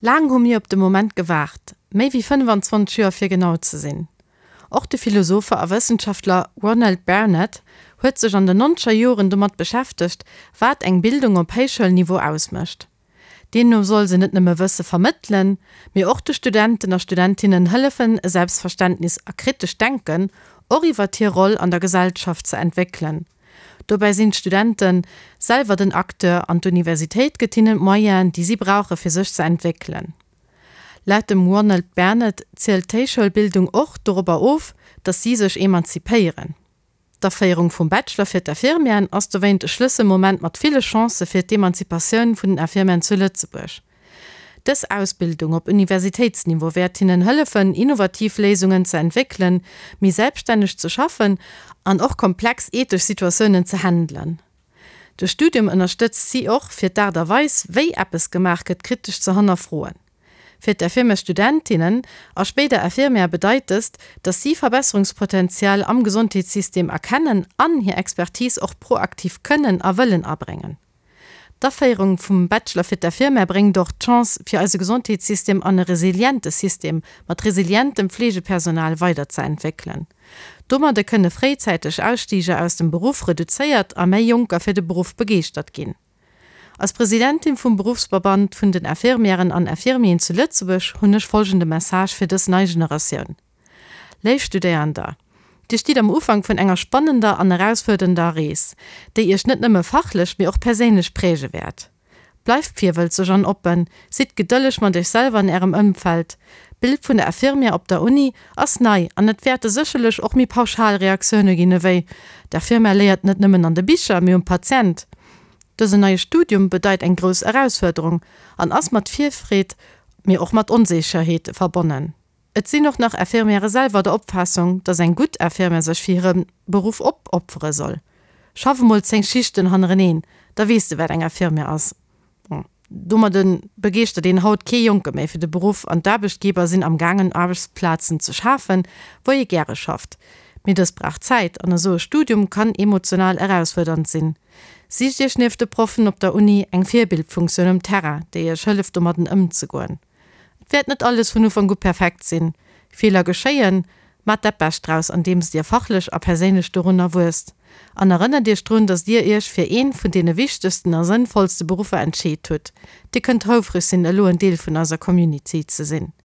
Laang hu mir op de Moment gewaart, méi wéi 25 Joer fir genau ze sinn. Och de Philosopher a Wëssenschaftler Ronald Bernard huet sech an den nonzeger Joren domat beschäftegt, wat eng Bildung op Héichschoulniveau ausmécht. Deemno soll se net nëmme Wësse vermëttelen, mee och de Studenten a Studentinnen hëllefen e Selbstverständnis a kritescht Denken och iwwert hir Roll an der Gesellschaft ze entwéckelen. Dobäi sinn d'Studente selwer den Acteur an d'Universitéit gëtt hinnen d'Moyenen, déi si brauche fir sech ze entwéckelen. Laut dem Ronald Bernard zielt d'Héichschoulbildung och dorobber of, datt si sech emanzipéieren. D'Aféierung vum Bachelor fir d'Infirmieren ass dowéint e Schlësselmoment mat ville Chancë fir d'Emanzipatioun vun den Infirmieren zu Lëtzebuerg. Dës Ausbildung op Universitéitsniveau wäert hinnen hëllefen, innovativ Léisungen ze entwéckelen, méi selbststänneg ze schaffen an och komplex ethesch Situatiounen ze handelen. De Studium ënnerstëtzt si och, fir d'Aart a Weis, wéi eppes gemaach gëtt, kritesch ze hannerfroen. Fir d'Infirmiers-Studentinnen a spéider Infirmière bedeit dëst, datt si Verbesserungspotenzial am Gesondheetssystem erkennen an hir Expertise och proaktiv kënnen a wëllen abréngen. D'Aféierung vum Bachelor fir d'Infirmière bréngt och d'Chance, fir eise Gesondheetssystem an e resiliente System mat resilientem Fleegepersonal weiderzeentwéckelen. Domadde kënne fréizäiteg Ausstiger aus dem Beruff reduzéiert a méi Jonker fir de Beruff begeeschtert ginn. Als Presidentin vum Beruffsverband vun den Infirmièren an Infirmieren zu Lëtzebuerg hunn ech folgende Message fir dës nei Generatioun. Léif Studéierender, Dir stitt am Ufank vun enger spannender an erausfuerdernder Rees, déi Iech net nëmme fachlech, mee och perséinlech präge wäert. Bleift virwëlzeg an oppen, sidd gedëlleg mat Iech selwer an Ärem Ëmfeld. D'Bild vun der Infirmière op der Uni ass nei an et wäerte sécherlech och méi pauschal Reaktioune ginn ewéi, D'Infirmière léiert net nëmmen an de Bicher, mee um Patient. Dësen neie Studium bedeit eng grouss Erausfuerderung an ass mat Virfreed, mee och mat Onsécherheete verbonnen. Et sinn och nach Infirmièrë selwer der Opfaassung, dass eng gutt Infirmière sech fir hire Beruff opopfere soll. Schaff emol 10 Schichten hannereneen, da weess de wat eng Infirmière ass. Bon, domadde begeeschtert een haut kee Jonke méi fir de Beruff an d'Aarbechtgeber sinn am gaangen Aarbechtsplazen ze schafen, wou ee gäre schafft. Mee dës brauch Zäit an esou e Studium kann emotional erausfuerdernd sinn. Sicht iech nieft de Proffen op der Uni eng Virbildfunktioun um Terrain, déi iech hëlleft domadden ëmzegoen. Et wäert net alles vun Ufank u perfekt sinn, Feeler geschéien, maacht dat Bescht draus andeems dir fachlech a perséinlech dorunner wuesst. An erënnert iech drun, dass dir iech fir een vun deene wichtegsten a sënnvollste Beruffer entscheet hutt. Dir kënnt houfreg sinn elo en Deel vun eiser Community ze sinn.